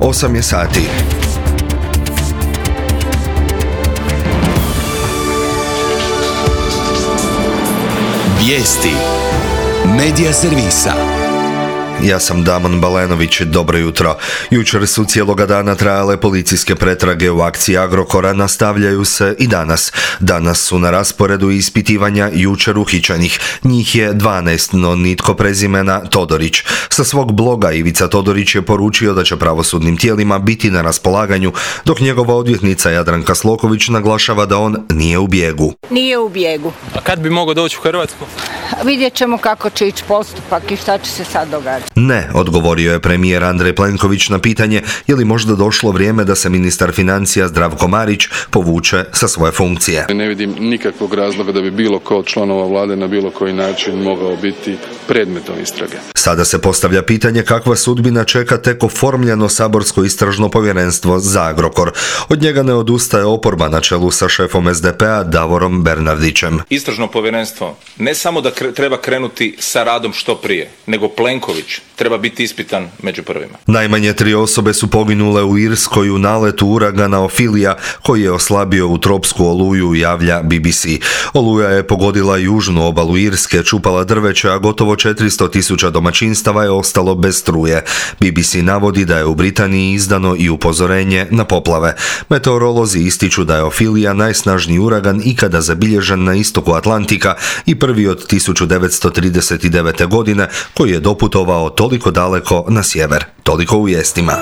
8 je sati. Vijesti Medija servisa. Ja sam Damon Balenović, dobro jutro. Jučer su cijeloga dana trajale policijske pretrage u akciji Agrokora, nastavljaju se i danas. Danas su na rasporedu ispitivanja jučer uhićenih. Njih je 12, no nitko prezimena Todorić. Sa svog bloga Ivica Todorić je poručio da će pravosudnim tijelima biti na raspolaganju, dok njegova odvjetnica Jadranka Sloković naglašava da on nije u bijegu. Nije u bijegu. A kad bi mogao doći u Hrvatsku? Vidjet ćemo kako će ići postupak i šta će se sad događati. Ne, odgovorio je premijer Andrej Plenković na pitanje je li možda došlo vrijeme da se ministar financija Zdravko Marić povuče sa svoje funkcije. Ne vidim nikakvog razloga da bi bilo ko od članova vlade na bilo koji način mogao biti predmetom istrage. Sada se postavlja pitanje kakva sudbina čeka tek oformljeno saborsko istražno povjerenstvo za Agrokor. Od njega ne odustaje oporba na čelu sa šefom SDP-a Davorom Bernardićem. Istražno povjerenstvo ne samo da treba krenuti sa radom što prije, nego Plenković treba biti ispitan među prvima. Najmanje 3 osobe su poginule u Irskoj u naletu uragana Ophelia koji je oslabio u tropsku oluju, javlja BBC. Oluja je pogodila južnu obalu Irske, čupala drveće, a gotovo 400.000 domaćinstava je ostalo bez struje. BBC navodi da je u Britaniji izdano i upozorenje na poplave. Meteorolozi ističu da je Ophelia najsnažniji uragan ikada zabilježen na istoku Atlantika i prvi od 1939. godine koji je doputovao toliko daleko na sjever. Toliko u vijestima.